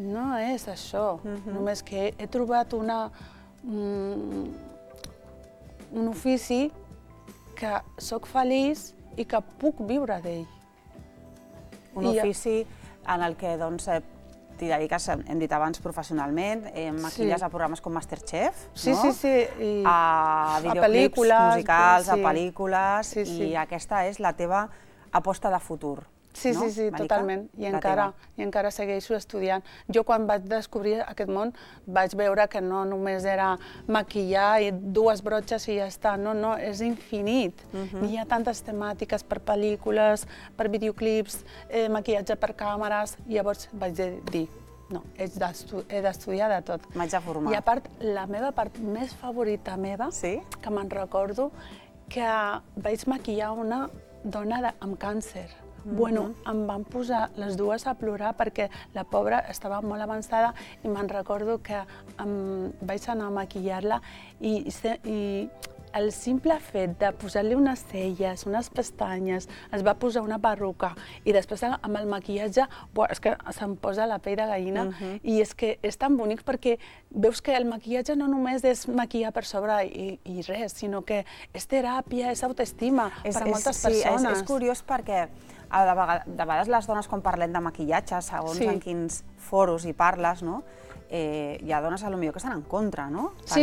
No és això, només que he trobat un ofici que sóc feliç i que puc viure d'ell. Un ofici en el que t'hi dediques, hem dit abans, professionalment, maquilles a programes com Masterchef, a videoclips musicals, a pel·lícules, i aquesta és la teva aposta de futur. Sí, totalment, i encara segueixo estudiant. Jo quan vaig descobrir aquest món vaig veure que no només era maquillar i dues brotxes i ja està, no, és infinit. Hi ha tantes temàtiques per pel·lícules, per videoclips, maquillatge per càmeres, i llavors vaig dir, no, he d'estudiar de tot. M'haig de formar. I a part, la meva part més favorita meva, que me'n recordo, que vaig maquillar una dona amb càncer. Bueno, em van posar les dues a plorar perquè la pobra estava molt avançada i me'n recordo que vaig anar a maquillar-la i el simple fet de posar-li unes celles, unes pestanyes, es va posar una perruca i després amb el maquillatge, és que se'm posa la pell de gallina i és que és tan bonic perquè veus que el maquillatge no només és maquillar per sobre i res, sinó que és teràpia, és autoestima per a moltes persones. Sí, és curiós perquè de vegades les dones, quan parlem de maquillatge, segons en quins foros hi parles, hi ha dones potser que estan en contra, no? Sí,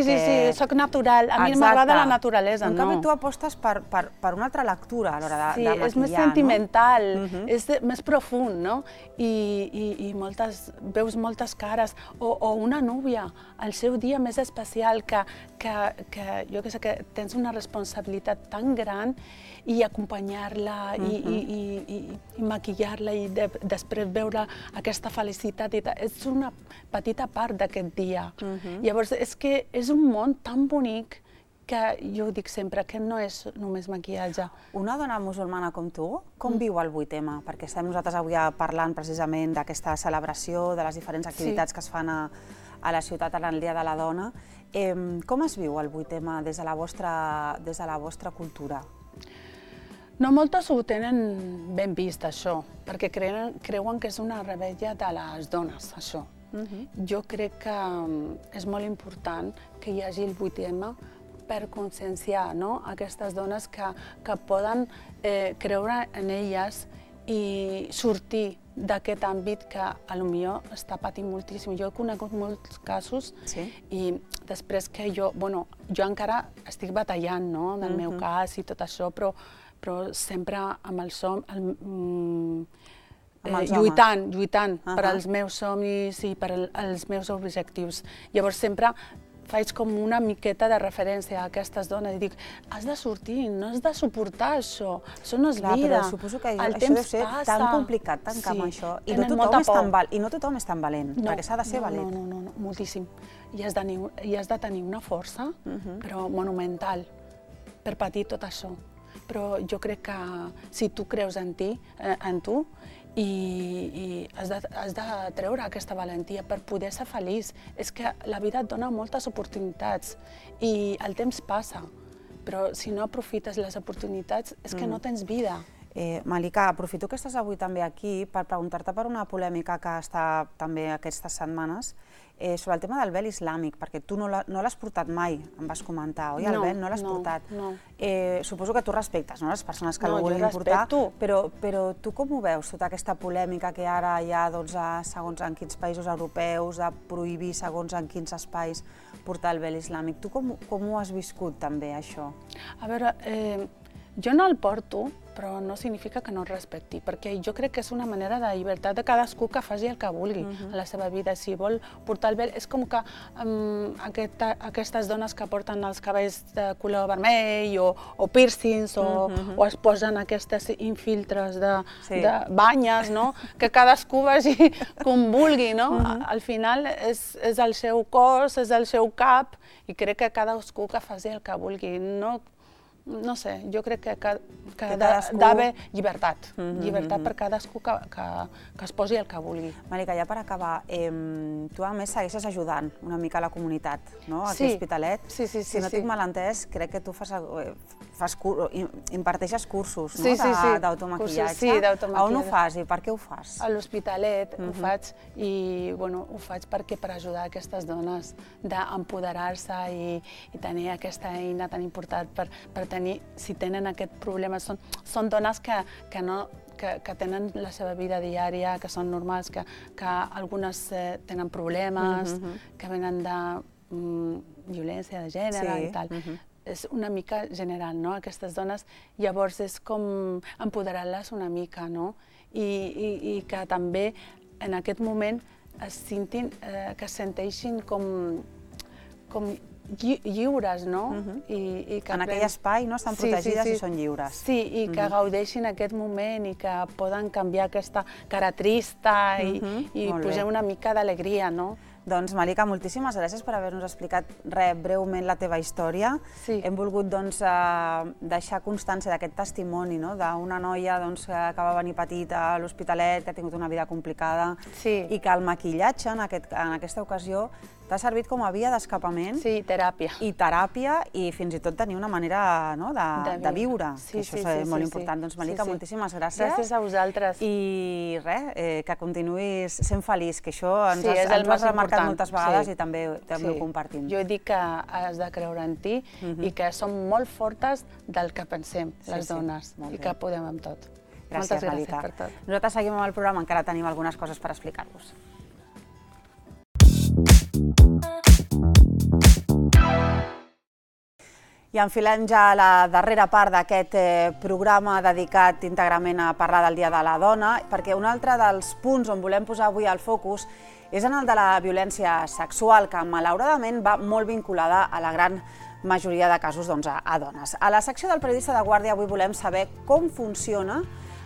soc natural. A mi m'agrada la naturalesa, no? En canvi, tu apostes per una altra lectura a l'hora de maquillar, no? Sí, és més sentimental, és més profund, no? I veus moltes cares. O una núvia, el seu dia més especial, que jo què sé, que tens una responsabilitat tan gran, i acompanyar-la i maquillar-la i després veure aquesta felicitat. És una petita part d'aquest dia. Llavors, és que és un món tan bonic que jo dic sempre que no és només maquillatge. Una dona musulmana com tu, com viu el 8M? Perquè estem nosaltres avui parlant precisament d'aquesta celebració, de les diferents activitats que es fan a la ciutat en el Dia de la Dona. Com es viu el 8M des de la vostra cultura? No moltes ho tenen ben vist, això, perquè creuen que és una rebella de les dones, això. Jo crec que és molt important que hi hagi el 8M per conscienciar aquestes dones que poden creure en elles i sortir d'aquest àmbit que potser està patint moltíssim. Jo he conegut molts casos i després que jo encara estic batallant del meu cas i tot això, però sempre amb el lluitant per als meus somnis i per als meus objectius. Llavors sempre faig com una miqueta de referència a aquestes dones i dic, has de sortir, no has de suportar això no és vida. Però suposo que això deu ser tan complicat, tancar amb això, i no tothom és tan valent, perquè s'ha de ser valent. No, moltíssim. I has de tenir una força, però monumental, per patir tot això. Però jo crec que si tu creus en tu, i has de treure aquesta valentia per poder ser feliç. És que la vida et dona moltes oportunitats i el temps passa, però si no aprofites les oportunitats és que no tens vida. Malika, aprofito que estàs avui també aquí per preguntar-te per una polèmica que està també aquestes setmanes sobre el tema del vel islàmic, perquè tu no l'has portat mai, em vas comentar, oi? El vel no l'has portat. Suposo que tu respectes les persones que el vulguin portar, però tu com ho veus, tota aquesta polèmica que ara hi ha segons en quins països europeus, de prohibir segons en quins espais portar el vel islàmic? Tu com ho has viscut també, això? A veure, jo no el porto, però no significa que no el respecti, perquè jo crec que és una manera de llibertat de cadascú que faci el que vulgui a la seva vida. Si vol portar el vel, és com que aquestes dones que porten els cabells de color vermell o piercings o es posen aquestes infiltres de banyes, que cadascú vagi com vulgui. Al final és el seu cos, és el seu cap, i crec que cadascú que faci el que vulgui. No sé, jo crec que ha d'haver llibertat per cadascú que es posi el que vulgui. Malika, ja per acabar, tu a més segueixes ajudant una mica a la comunitat, aquí a Hospitalet. Si no tinc mal entès, crec que tu imparteixes cursos d'automaquillatge. Sí, d'automaquillatge. On ho fas i per què ho fas? A l'Hospitalet ho faig i ho faig per ajudar aquestes dones d'empoderar-se i tenir aquesta eina tan important per tenir, si tenen aquest problema, són dones que tenen la seva vida diària, que són normals, que algunes tenen problemes, que venen de violència de gènere i tal. És una mica general, aquestes dones. Llavors és com empoderar-les una mica, i que també en aquest moment que es senteixin com lliures, no? En aquell espai estan protegides i són lliures. Sí, i que gaudeixin aquest moment i que poden canviar aquesta cara trista i posar una mica d'alegria, no? Doncs, Malika, moltíssimes gràcies per haver-nos explicat breument la teva història. Hem volgut deixar constància d'aquest testimoni d'una noia que va venir petita a l'Hospitalet, que ha tingut una vida complicada i que el maquillatge, en aquesta ocasió, t'ha servit com a via d'escapament. Sí, teràpia. I teràpia i fins i tot tenir una manera de viure, que això és molt important. Doncs, Malika, moltíssimes gràcies. Gràcies a vosaltres. I res, que continuïs sent feliç, que això ens ho has remarcat moltes vegades i també ho compartim. Jo dic que has de creure en ti i que som molt fortes del que pensem, les dones, i que podem amb tot. Gràcies, Melita. Per tot. Nosaltres seguim amb el programa, encara tenim algunes coses per explicar-vos. I enfilem ja la darrera part d'aquest programa dedicat íntegrament a parlar del Dia de la Dona, perquè un altre dels punts on volem posar avui el focus és en el de la violència sexual, que malauradament va molt vinculada a la gran majoria de casos a dones. A la secció del Periodista de Guàrdia avui volem saber com funciona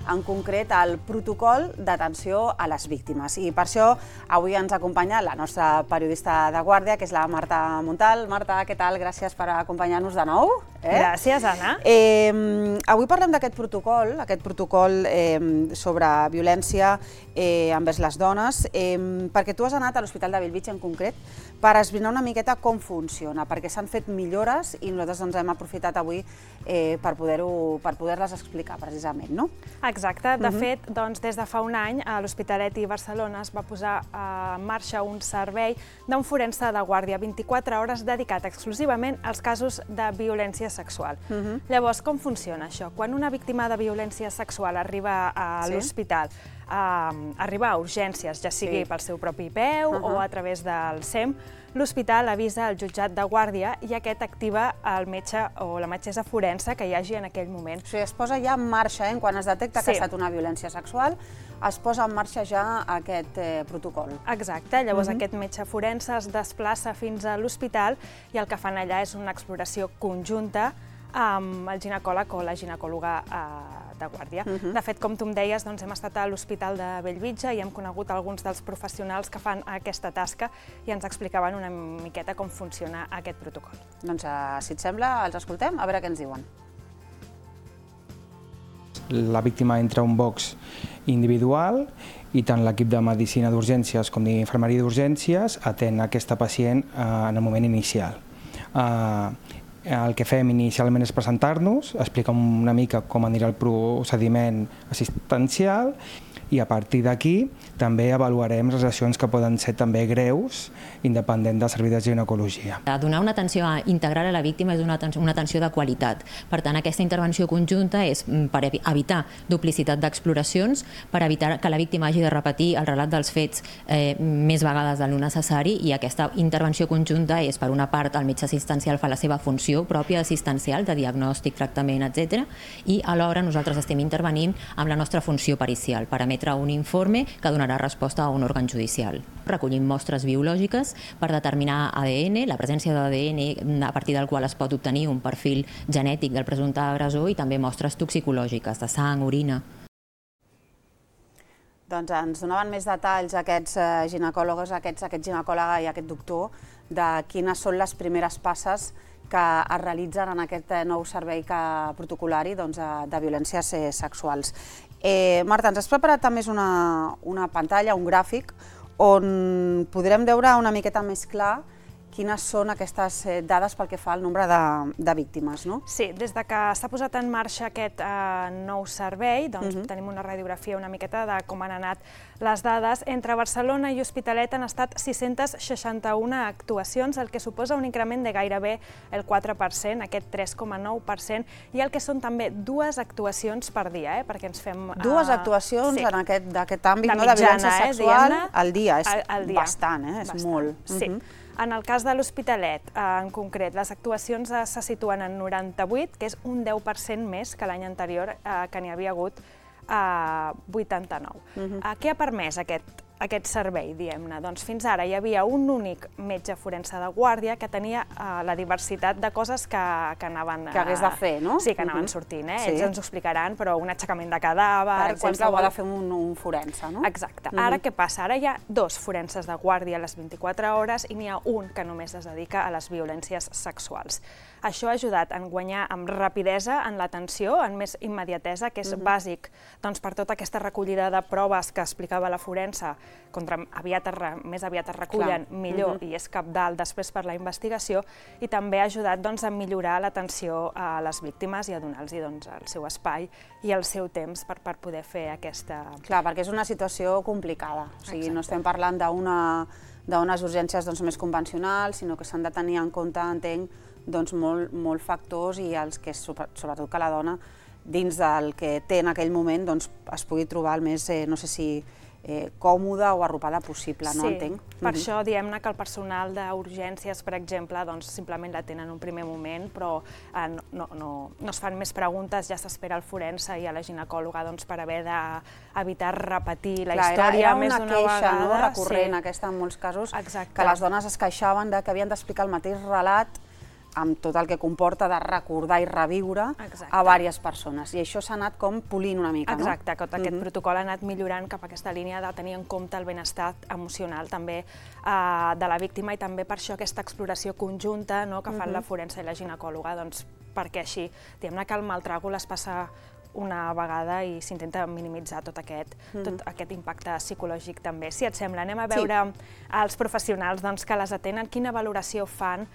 en concret el protocol d'atenció a les víctimes. I per això avui ens acompanya la nostra periodista de guàrdia, que és la Marta Montal. Marta, què tal? Gràcies per acompanyar-nos de nou. Gràcies, Anna. Avui parlem d'aquest protocol sobre violència envers les dones, perquè tu has anat a l'Hospital de Bellvitge en concret per esbrinar una miqueta com funciona, perquè s'han fet millores i nosaltres hem aprofitat avui per poder-les explicar precisament, no? Exacte. De fet, des de fa un any, a l'Hospitalet i Barcelona es va posar en marxa un servei d'un forense de guàrdia 24 hores dedicat exclusivament als casos de violència sexual. Llavors, com funciona això? Quan una víctima de violència sexual arriba a l'hospital, arriba a urgències, ja sigui pel seu propi peu o a través del SEM, l'hospital avisa el jutjat de guàrdia i aquest activa el metge o la metgessa forense que hi hagi en aquell moment. O sigui, es posa ja en marxa, quan es detecta que ha estat una violència sexual, es posa en marxa ja aquest protocol. Exacte, llavors aquest metge forense es desplaça fins a l'hospital i el que fan allà és una exploració conjunta amb el ginecòleg o la ginecòloga de guàrdia. De fet, com tu em deies, hem estat a l'Hospital de Bellvitge i hem conegut alguns dels professionals que fan aquesta tasca i ens explicaven una miqueta com funciona aquest protocol. Doncs, si et sembla, els escoltem, a veure què ens diuen. La víctima entra a un box individual i tant l'equip de medicina d'urgències com d'infermeria d'urgències atén aquesta pacient en el moment inicial. El que fem inicialment és presentar-nos, explicar una mica com anirà el procediment assistencial i a partir d'aquí també avaluarem les lesions que poden ser també greus, independent del servei de ginecologia. Donar una atenció integral a la víctima és una atenció de qualitat. Per tant, aquesta intervenció conjunta és per evitar duplicitat d'exploracions, per evitar que la víctima hagi de repetir el relat dels fets més vegades del necessari i aquesta intervenció conjunta és, per una part, el metge assistencial fa la seva funció pròpia assistencial, de diagnòstic, tractament, etc. I alhora nosaltres estem intervenint amb la nostra funció pericial per emetre un informe que donarà resposta a un òrgan judicial. Recollim mostres biològiques per determinar ADN, la presència d'ADN a partir del qual es pot obtenir un perfil genètic del presumpte agressor i també mostres toxicològiques de sang, orina. Doncs ens donaven més detalls aquests ginecòlogs, aquest ginecòloga i aquest doctor de quines són les primeres passes que es realitzen en aquest nou servei protocolari de violències sexuals. Marta, ens has preparat també una pantalla, un gràfic, on podrem veure una miqueta més clar quines són aquestes dades pel que fa al nombre de víctimes, no? Sí, des que s'ha posat en marxa aquest nou servei, tenim una radiografia una miqueta de com han anat les dades. Entre Barcelona i Hospitalet han estat 661 actuacions, el que suposa un increment de gairebé el 4%, aquest 3,9%, i el que són també 2 actuacions per dia, perquè ens fem... 2 actuacions d'aquest àmbit de violència sexual al dia, és bastant, és molt. Sí. En el cas de l'Hospitalet, en concret, les actuacions se situen en 98, que és un 10% més que l'any anterior, que n'hi havia hagut 89. Què ha permès aquest servei, diguem-ne? Doncs fins ara hi havia un únic metge forense de guàrdia que tenia la diversitat de coses que anaven... Que hagués de fer, no? Sí, que anaven sortint, ells ens ho explicaran, però un aixecament de cadàver... Per exemple, ho ha de fer un forense, no? Exacte. Ara què passa? Ara hi ha 2 forenses de guàrdia a les 24 hores i n'hi ha un que només es dedica a les violències sexuals. Això ha ajudat a guanyar amb rapidesa en l'atenció, en més immediatesa, que és bàsic per tota aquesta recollida de proves que explicava la forense, més aviat es recullen, millor, i és cabdal després per la investigació, i també ha ajudat a millorar l'atenció a les víctimes i a donar-los el seu espai i el seu temps per poder fer aquesta... Clar, perquè és una situació complicada, o sigui, no estem parlant d'unes urgències més convencionals, sinó que s'han de tenir en compte, entenc, molts factors i els que, sobretot que la dona, dins del que té en aquell moment, doncs es pugui trobar el més, no sé si còmoda o arropada possible, no entenc? Per això diem-ne que el personal d'urgències, per exemple, doncs simplement l'atén en un primer moment, però no es fan més preguntes, ja s'espera el forense i a la ginecòloga per haver d'evitar repetir la història més d'una vegada. Era una queixa recurrent aquesta en molts casos, que les dones es queixaven que havien d'explicar el mateix relat amb tot el que comporta de recordar i reviure a diverses persones. I això s'ha anat com polint una mica, no? Exacte, aquest protocol ha anat millorant cap a aquesta línia de tenir en compte el benestar emocional també de la víctima i també per això aquesta exploració conjunta que fan la forense i la ginecòloga, perquè així, diguem-ne que el maltràgol es passa una vegada i s'intenta minimitzar tot aquest impacte psicològic també. Si et sembla, anem a veure els professionals que les atenen, quina valoració fan,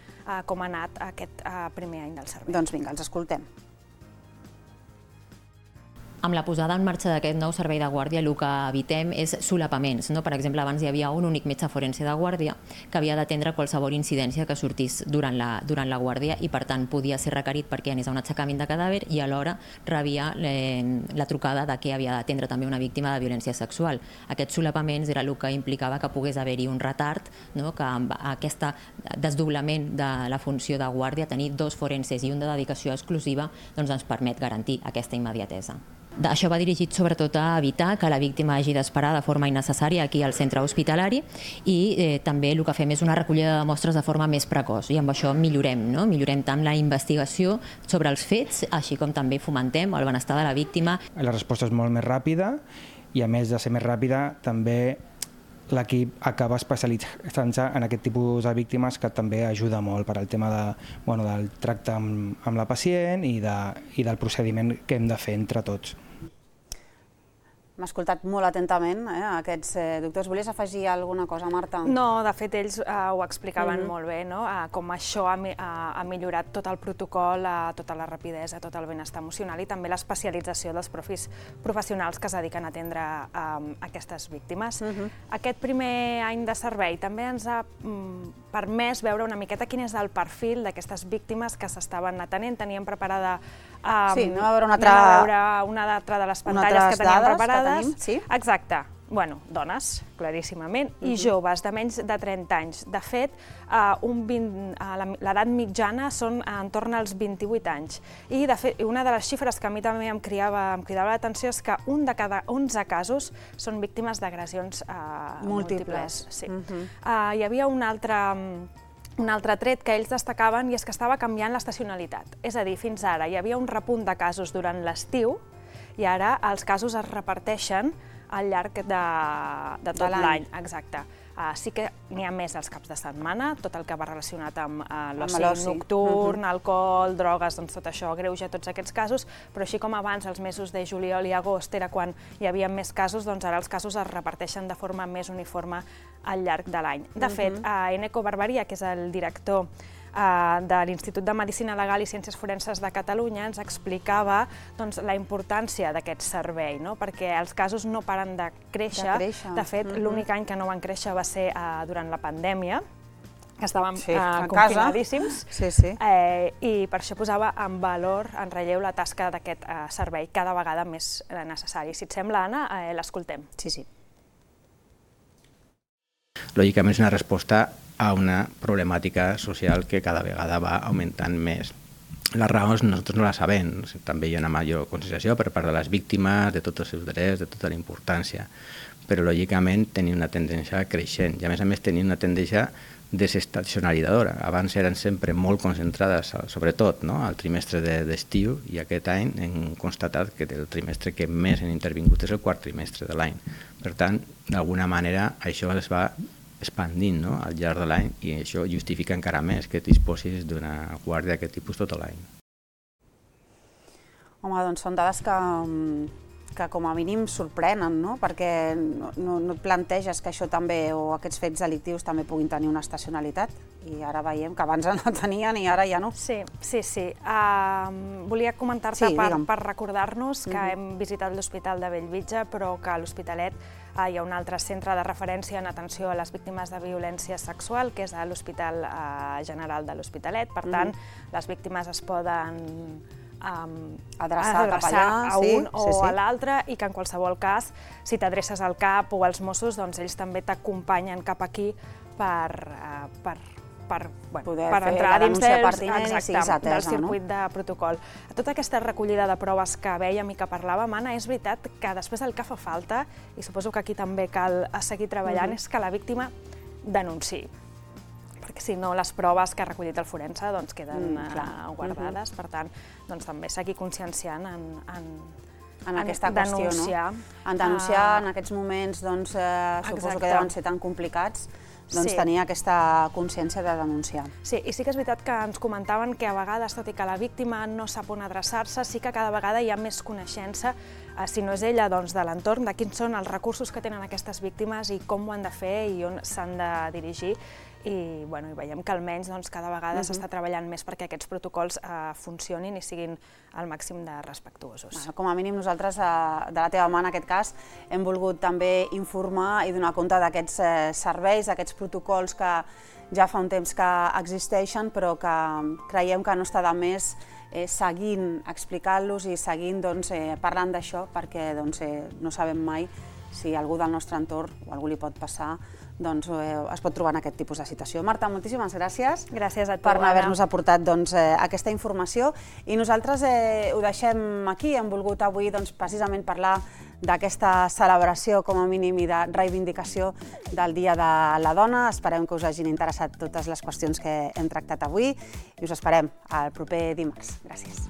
com ha anat aquest primer any del servei. Doncs vinga, els escoltem. Amb la posada en marxa d'aquest nou servei de guàrdia, el que evitem és solapaments. Per exemple, abans hi havia un únic metge forense de guàrdia que havia d'atendre qualsevol incidència que sortís durant la guàrdia i, per tant, podia ser requerit perquè anés a un aixecament de cadàver i alhora rebia la trucada de que havia d'atendre també una víctima de violència sexual. Aquests solapaments era el que implicava que pogués haver-hi un retard, que amb aquest desdoblament de la funció de guàrdia, tenir dos forenses i un de dedicació exclusiva, ens permet garantir aquesta immediatesa. Això va dirigit sobretot a evitar que la víctima hagi d'esperar de forma innecessària aquí al centre hospitalari i també el que fem és una recollida de mostres de forma més precoç i amb això millorem tant la investigació sobre els fets, així com també fomentem el benestar de la víctima. La resposta és molt més ràpida i a més de ser més ràpida també l'equip acaba especialitzant-se en aquest tipus de víctimes que també ajuda molt per al tema del tracte amb la pacient i del procediment que hem de fer entre tots. M'ha escoltat molt atentament aquests doctors. Volies afegir alguna cosa, Marta? No, de fet, ells ho explicaven molt bé, com això ha millorat tot el protocol, tota la rapidesa, tot el benestar emocional i també l'especialització dels professionals que es dediquen a atendre aquestes víctimes. Aquest primer any de servei també ens ha permès veure una miqueta quin és el perfil d'aquestes víctimes que s'estaven atenent. Teníem preparada anem a veure una altra de les pantalles que teníem preparades. Exacte. Dones, claríssimament, i joves de menys de 30 anys. De fet, l'edat mitjana són entorn als 28 anys. I, de fet, una de les xifres que a mi també em cridava l'atenció és que un de cada 11 casos són víctimes d'agressions múltiples. Hi havia un altre tret que ells destacaven i és que estava canviant l'estacionalitat. És a dir, fins ara hi havia un repunt de casos durant l'estiu i ara els casos es reparteixen al llarg de tot l'any. Exacte. Sí que n'hi ha més als caps de setmana, tot el que va relacionat amb l'oci nocturn, alcohol, drogues, doncs tot això agreuja tots aquests casos, però així com abans, els mesos de juliol i agost era quan hi havia més casos, doncs ara els casos es reparteixen de forma més uniforme al llarg de l'any. De fet, Eneko Barbaria, que és el director de l'Institut de Medicina Legal i Ciències Forenses de Catalunya, ens explicava la importància d'aquest servei, perquè els casos no paren de créixer. De fet, l'únic any que no van créixer va ser durant la pandèmia, que estàvem confinadíssims, i per això posava en valor, en relleu, la tasca d'aquest servei cada vegada més necessari. Si et sembla, Anna, l'escoltem. Sí. Lògicament és una resposta a una problemàtica social que cada vegada va augmentant més. Les raons nosaltres no les sabem, també hi ha una major consideració per part de les víctimes, de tots els seus drets, de tota la importància, però lògicament tenim una tendència creixent i a més tenim una tendència desestacionalitzadora. Abans eren sempre molt concentrades, sobretot al trimestre d'estiu, i aquest any hem constatat que el trimestre que més han intervingut és el quart trimestre de l'any. Per tant, d'alguna manera això es va expandint al llarg de l'any i això justifica encara més que disposis d'una guàrdia d'aquest tipus tot l'any. Home, doncs són dades que com a mínim sorprenen, perquè no et planteges que això també, o aquests fets delictius també puguin tenir una estacionalitat, i ara veiem que abans no tenien i ara ja no. Sí. Volia comentar-te per recordar-nos que hem visitat l'Hospital de Bellvitge, però que a l'Hospitalet hi ha un altre centre de referència en atenció a les víctimes de violència sexual, que és l'Hospital General de l'Hospitalet. Per tant, les víctimes es poden Adreçar cap allà, a un sí, sí. o a l'altre, i que en qualsevol cas, si t'adreces al CAP o als Mossos, doncs ells també t'acompanyen cap aquí per Poder fer entrar la dins denúncia pertinent i siguis atesa, del circuit de protocol. Tota aquesta recollida de proves que vèiem i que parlàvem, Anna, és veritat que després el que fa falta, i suposo que aquí també cal seguir treballant, és que la víctima denunciï. Perquè si no, les proves que ha recollit el forense queden guardades. Per tant, també seguir conscienciant en aquesta qüestió, no? En denunciar en aquests moments, suposo que deuen ser tan complicats, tenir aquesta consciència de denunciar. Sí, i sí que és veritat que ens comentaven que a vegades, tot i que la víctima no sap on adreçar-se, sí que cada vegada hi ha més coneixença, si no és ella, doncs de l'entorn, de quins són els recursos que tenen aquestes víctimes i com ho han de fer i on s'han de dirigir. I veiem que almenys cada vegada s'està treballant més perquè aquests protocols funcionin i siguin al màxim de respectuosos. Com a mínim nosaltres, de la teva mà en aquest cas, hem volgut també informar i donar compte d'aquests serveis, d'aquests protocols que ja fa un temps que existeixen, però que creiem que no està de més seguint explicant-los i seguint parlant d'això, perquè no sabem mai si algú del nostre entorn o algú li pot passar, es pot trobar en aquest tipus de situació. Marta, moltíssimes gràcies per haver-nos aportat aquesta informació. I nosaltres ho deixem aquí. Hem volgut avui precisament parlar d'aquesta celebració, com a mínim, i de reivindicació del Dia de la Dona. Esperem que us hagin interessat totes les qüestions que hem tractat avui i us esperem el proper dimarts. Gràcies.